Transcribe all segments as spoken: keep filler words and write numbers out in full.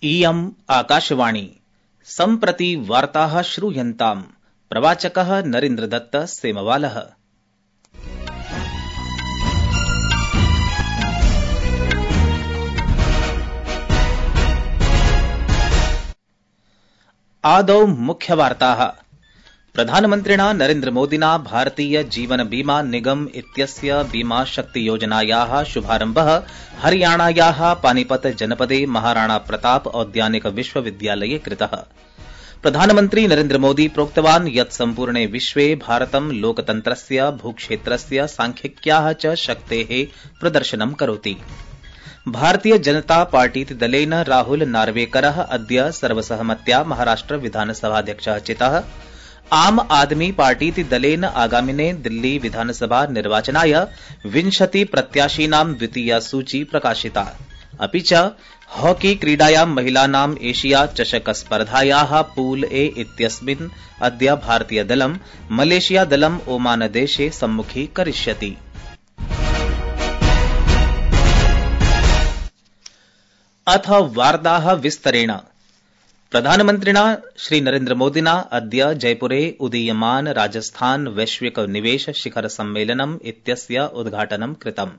इयम् आकाशवाणी सम्प्रति वार्ताः श्रूयन्ताम्। प्रवाचकः नरेन्द्रदत्त सेमवालः। आदौ मुख्यवार्ताः। प्रधानमन्त्रिणा नरेन्द्रमोदिना भारतीय जीवन बीमा निगम इत्यस्य बीमा शक्ति योजनायाः शुभारम्भः हरियाणायाः पानीपत जनपदे महाराणा प्रताप औद्यानिक विश्वविद्यालये कृतः। प्रधानमन्त्री नरेन्द्रमोदी प्रोक्तवान् यत् सम्पूर्णे विश्वे भारतं लोकतन्त्रस्य भूक्षेत्रस्य सांख्यिक्याः च शक्तेः प्रदर्शनं करोति। भारतीय जनता पार्टीति दलेन राहुल नार्वेकरः अद्य सर्वसहमत्या महाराष्ट्र विधानसभाध्यक्षः चितः। आम आदमी पार्टीति दलेन आगामिने दिल्ली विधानसभा निर्वाचनाय विंशति प्रत्याशीनां द्वितीया सूची प्रकाशिता। अपि च हॉकी क्रीडायां महिलानां एशिया चषक स्पर्धायाः पूल ए इत्यस्मिन् अद्य भारतीयदलं मलेशियादलं ओमानदेशे सम्मुखीकरिष्यति। अथ वार्ताः विस्तरेण। प्रधानमन्त्रिणा श्री नरेन्द्रमोदिना अद्य जयपुरे उदीयमान राजस्थान वैश्विक निवेश शिखर सम्मेलनम् इत्यस्य उद्घाटनं कृतम्।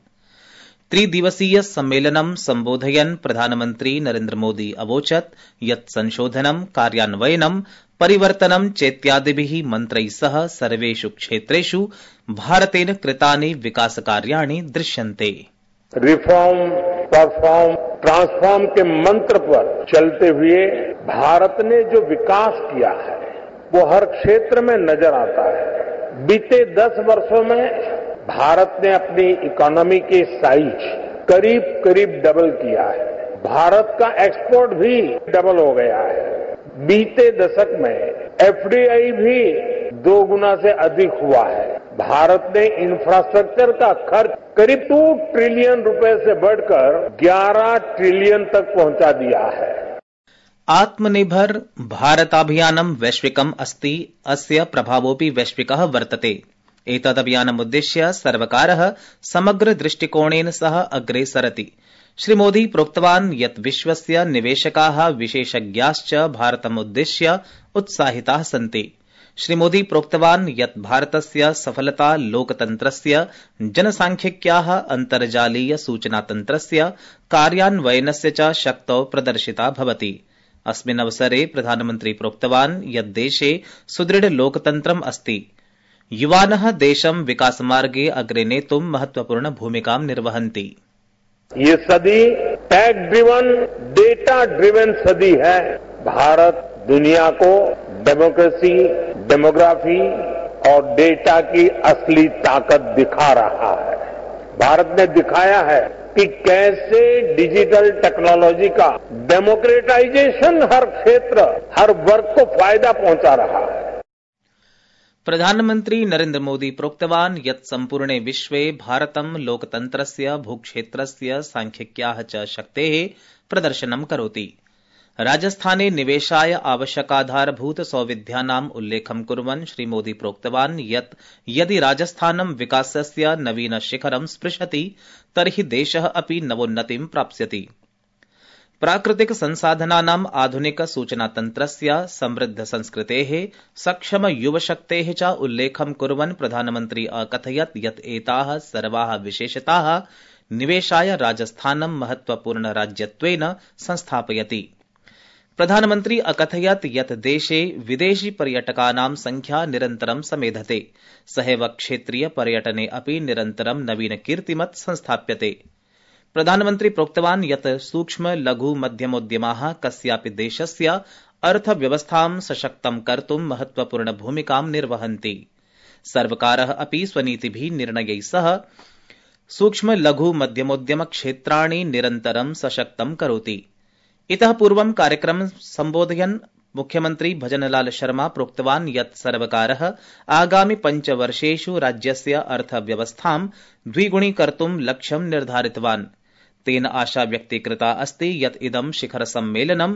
त्रिदिवसीय सम्मेलनं सम्बोधयन् प्रधानमन्त्री नरेन्द्रमोदी अवोचत् यत् संशोधनं कार्यान्वयनं परिवर्तनं चेत्यादिभिः मन्त्रैः सह सर्वेषु क्षेत्रेषु भारतेन कृतानि विकासकार्याणि दृश्यन्ते। रिफॉर्म, परफॉर्म, ट्रांसफॉर्म के मंत्र पर चलते हुए भारत ने जो विकास किया है वो हर क्षेत्र में नजर आता है। बीते दस वर्षों में भारत ने अपनी इकोनॉमी के साइज करीब करीब डबल किया है। भारत का एक्सपोर्ट भी डबल हो गया है। बीते दशक में एफडीआई भी दो गुना से अधिक हुआ है। भारत ने इंफ्रास्ट्रक्चर का खर्च करीब दो ट्रिलियन रुपए से बढ़कर ग्यारह ट्रिलियन तक पहुंचा दिया है। आत्मनिर्भर भारताभियानं वैश्विकम् अस्ति, अस्य प्रभावोऽपि वैश्विकः वर्तते। एतदभियानमुद्दिश्य सर्वकारः समग्र दृष्टिकोणेन सह अग्रे सरति। श्रीमोदी प्रोक्तवान् यत् विश्वस्य निवेशकाः विशेषज्ञाश्च भारतमुद्दिश्य उत्साहिताः सन्ति। श्रीमोदी प्रोक्तवान् यत् भारतस्य सफलता लोकतन्त्रस्य जनसांख्यिक्याः अन्तर्जालीय सूचनातन्त्रस्य कार्यान्वयनस्य च शक्तौ प्रदर्शिता भवति। अस्मिन् अवसरे प्रधानमन्त्री प्रोक्तवान् यत् देशे सुदृढ लोकतन्त्रम् अस्ति। युवानः देशं विकासमार्गे अग्रे नेतुं महत्वपूर्ण भूमिकां निर्वहन्ति। ये सदी टेक ड्रिवन, डेटा ड्रिवन सदी है। भारत दुनिया को डेमोक्रेसी, डेमोग्राफी और डेटा की असली ताकत दिखा रहा है। भारत ने दिखाया है कि कैसे डिजिटल टेक्नोलॉजी का डेमोक्रेटाइजेशन हर क्षेत्र, हर वर्ग को फायदा पहुंचा रहा है। प्रधानमन्त्री नरेन्द्र मोदी प्रोक्तवान् यत् सम्पूर्णे विश्वे भारतं लोकतन्त्रस्य भूक्षेत्रस्य सांख्यिक्याः च शक्तेः प्रदर्शनं करोति। राजस्थाने निवेशाय आवश्यकाधारभूत सौविध्यानाम् उल्लेखं कुर्वन् श्रीमोदी प्रोक्तवान् यत् यदि राजस्थानं विकासस्य नवीन शिखरं स्पृशति तर्हि देशः अपि नवोन्नतिं प्राप्स्यति। प्राकृतिक संसाधनानाम् आधुनिक सूचनातन्त्रस्य समृद्ध संस्कृतेः सक्षम युवशक्तेः च उल्लेखं कुर्वन् प्रधानमन्त्री अकथयत् यत् एताः सर्वाः विशेषताः निवेशाय राजस्थानं महत्वपूर्ण राज्यत्वेन संस्थापयति। प्रधानमन्त्री अकथयत् यत् देशे विदेशी पर्यटकानां संख्या निरन्तरं समेधते। सहैव क्षेत्रीय पर्यटने अपि निरन्तरं नवीन कीर्तिमत् संस्थाप्यते। प्रधानमन्त्री प्रोक्तवान् यत् सूक्ष्म लघु मध्यमोद्यमाः कस्यापि देशस्य अर्थव्यवस्थां सशक्तं कर्तुं महत्वपूर्ण भूमिकां निर्वहन्ति। सर्वकारः अपि स्वनीतिभिः निर्णयैः सह सूक्ष्म लघु मध्यमोद्यम क्षेत्राणि निरन्तरं सशक्तं करोति। इतः पूर्वं कार्यक्रमं सम्बोधयन् मुख्यमन्त्री भजनलाल शर्मा प्रोक्तवान् यत् सर्वकारः आगामि पञ्चवर्षेषु राज्यस्य अर्थव्यवस्थां द्विगुणीकर्तुं लक्ष्यं निर्धारितवान्। तेन आशा व्यक्तीकृता अस्ति यत् इदं शिखर सम्मेलनं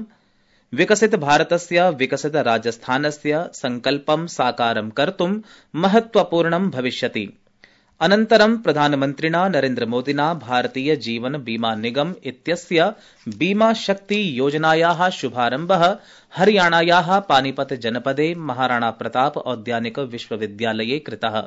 विकसित भारतस्य विकसित राजस्थानस्य संकल्पं साकारं कर्तुं महत्वपूर्णं भविष्यति। अनन्तरं प्रधानमन्त्रिणा नरेन्द्रमोदिना भारतीय जीवन बीमा निगम इत्यस्य बीमा शक्ति योजनायाः शुभारम्भः हरियाणायाः पानीपत जनपदे महाराणा प्रताप औद्यानिक विश्वविद्यालये कृतः।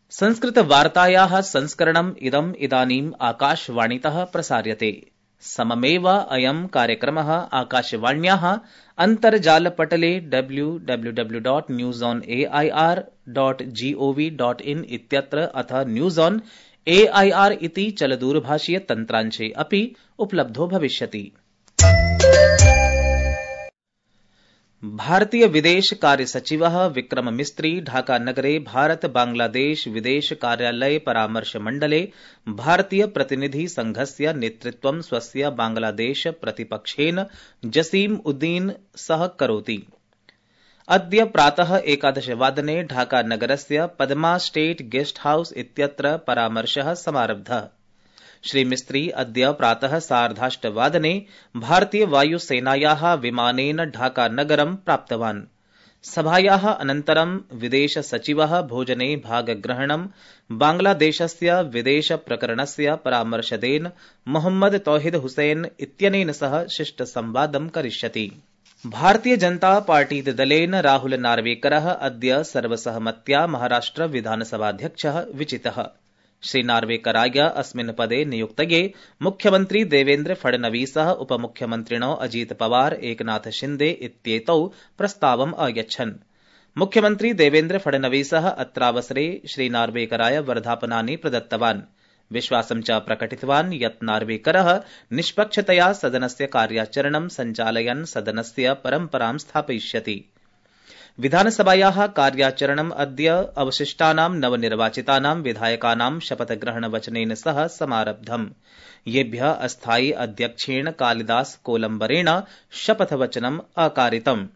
संस्कृतवार्तायाः संस्करणम् इदम् इदानीम् आकाशवाणीतः प्रसार्यते। सममेव अयं कार्यक्रमः आकाशवाण्याः अन्तर्जालपटले W W W dot news on A I R dot G O V dot in इत्यत्र अथ news on A I R इति चलदूरभाषीय तन्त्रांशे अपि उपलब्धो भविष्यति। भारतीय विदेश कार्य सचिवः विक्रम मिस्त्री ढाका नगरे भारत बांग्लादेश विदेश कार्यालय परामर्श मण्डले भारतीय प्रतिनिधि संघस्य नेतृत्वं स्वस्य बांग्लादेश प्रतिपक्षेन जसीम उद्दीन सह करोति। अद्य प्रातः एकादशवादने ढाका नगरस्य पद्मा स्टेट गेस्ट हाउस इत्यत्र परामर्शः समारब्धः। श्री मिस्त्री अद्य प्रातः सार्धाष्टवादने भारतीय वायुसेनायाः विमानेन ढाका नगरं प्राप्तवान्। सभायाः अनन्तरं विदेश सचिवः भोजने भागग्रहणं बांग्लादेशस्य विदेश प्रकरणस्य परामर्शदेन मोहम्मद तौहिद हुसैन इत्यनेन सह शिष्टसंवादं करिष्यति। भारतीय जनता पार्टीदलेन राहुल नार्वेकरः अद्य सर्वसहमत्या महाराष्ट्र विधानसभाध्यक्षः विचितः। श्री नार्वेकराय अस्मिन् पदे नियुक्तये मुख्यमन्त्री देवेन्द्र फडणवीसः उपमुख्यमन्त्रिणो अजीत पवार एकनाथ शिन्दे इत्येतौ प्रस्तावम् अयच्छन्। मुख्यमन्त्री देवेन्द्र फडणवीसः अत्रावसरे श्री नार्वेकराय वर्धापनानि प्रदत्तवान्। विश्वासं च प्रकटितवान् यत् नार्वेकरः निष्पक्षतया सदनस्य कार्याचरणं सञ्चालयन् सदनस्य परम्परां स्थापयिष्यति। विधानसभायाः कार्याचरणम् अद्य अवशिष्टानां नवनिर्वाचितानां विधायकानां शपथग्रहणवचनेन सह समारब्धम्। येभ्यः अस्थायी अध्यक्षेण कालिदास कोलम्बरेण शपथवचनम् अकारितम्।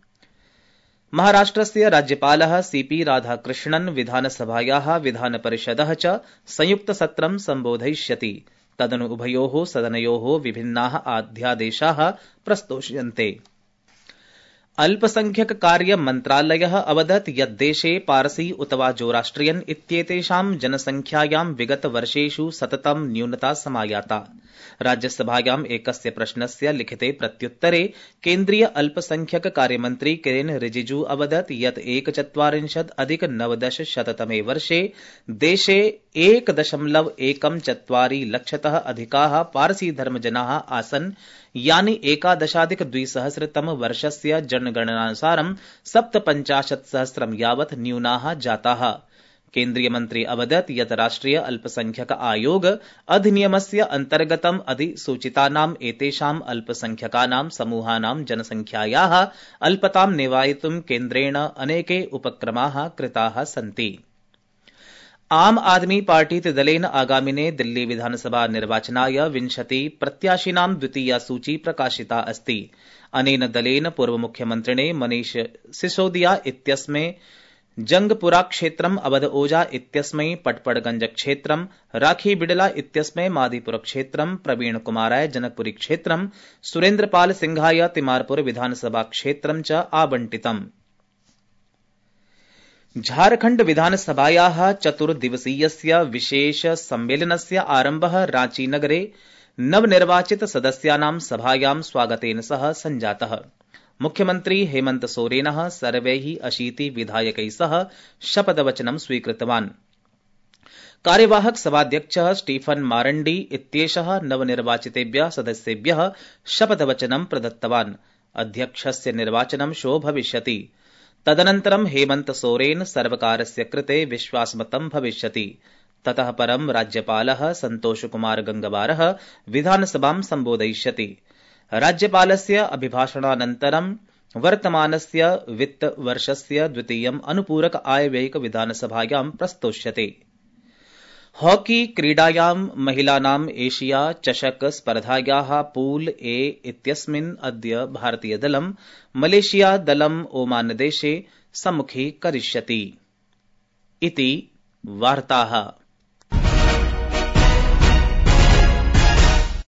महाराष्ट्रस्य राज्यपालः सीपी राधाकृष्णन् विधानसभायाः विधानपरिषदः च संयुक्तसत्रं सम्बोधयिष्यति। तदनु उभयोः सदनयोः विभिन्नाः अध्यादेशाः प्रस्तोष्यन्ते। अल्पसंख्यक कार्य मन्त्रालयः अवदत् यत् देशे पारसी उत वा जोराष्ट्रियन इत्येतेषां जनसंख्यायां विगत वर्षेषु सततं न्यूनता समायाता। राज्यसभायाम् एकस्य प्रश्नस्य लिखिते प्रत्युत्तरे केन्द्रीय अल्पसंख्यक कार्यमन्त्री किरेन रिजिजू अवदत् यत् एकचत्वारिंशत् अधिक नवदश शततमे वर्षे देशे एक दशमलव एकं चत्वारि लक्षतः अधिकाः पारसी धर्मजनाः आसन्, यानि एकादशाधिक द्विसहस्रतम वर्षस्य जनगणनानुसारं सप्तपञ्चाशत् सहस्रं यावत् न्यूनाः जाताः। केन्द्रीय मन्त्री अवदत् यत् राष्ट्रिय अल्पसंख्यक आयोग अधिनियमस्य अन्तर्गतम् अधिसूचितानाम् एतेषाम् अल्पसंख्यकानां समूहानां जनसंख्यायाः अल्पतां निवारयितुं केन्द्रेण अनेके उपक्रमाः कृताः सन्ति। आम आदमी पार्टीति दलेन आगामिने दिल्ली विधानसभा निर्वाचनाय विंशति प्रत्याशिनां द्वितीया सूची प्रकाशिता अस्ति। अनेन दलेन पूर्वमुख्यमन्त्रिणे मनीष सिसोदिया इत्यस्मै जंगपुरा क्षेत्रम्, अवध ओझा इत्यस्मै पटपड़गंज क्षेत्रम्, राखी बिड़ला इत्यस्मै मादीपुर क्षेत्रम्, प्रवीण कुमाराय जनकपुरी क्षेत्रम्, सुरेन्द्रपाल सिंहाय तिमारपुर विधानसभा क्षेत्रम् च आवंटितम्। झारखण्ड विधानसभायाः चतुर्दिवसीयस्य विशेष सम्मेलनस्य आरम्भः रांचीनगरे नवनिर्वाचित सदस्यानां सभायां स्वागतेन सह सञ्जातः। मुख्यमन्त्री हेमन्त सोरेनः सर्वैः अशीति विधायकैः सह शपथवचनं स्वीकृतवान्। कार्यवाहक सभाध्यक्षः स्टीफन मारण्डी इत्येषः नवनिर्वाचितेभ्यः सदस्येभ्यः शपथवचनं प्रदत्तवान्। अध्यक्षस्य निर्वाचनं श्वो भविष्यति। तदनन्तरं हेमन्त सोरेन सर्वकारस्य कृते विश्वासमतं भविष्यति। ततः परं राज्यपालः सन्तोष कुमार गंगवारः विधानसभां सम्बोधयिष्यति। राज्यपालस्य अभिभाषणानन्तरं वर्तमानस्य वित्तवर्षस्य द्वितीयम् अनुपूरक आयव्ययिक विधानसभायां प्रस्तोष्यते। हॉकी क्रीडायां महिलानां एशिया चषक स्पर्धायाः पूल ए इत्यस्मिन् अद्य भारतीयदलं मलेशियादलं ओमानदेशे सम्मुखीकरिष्यति। इति वार्ताः।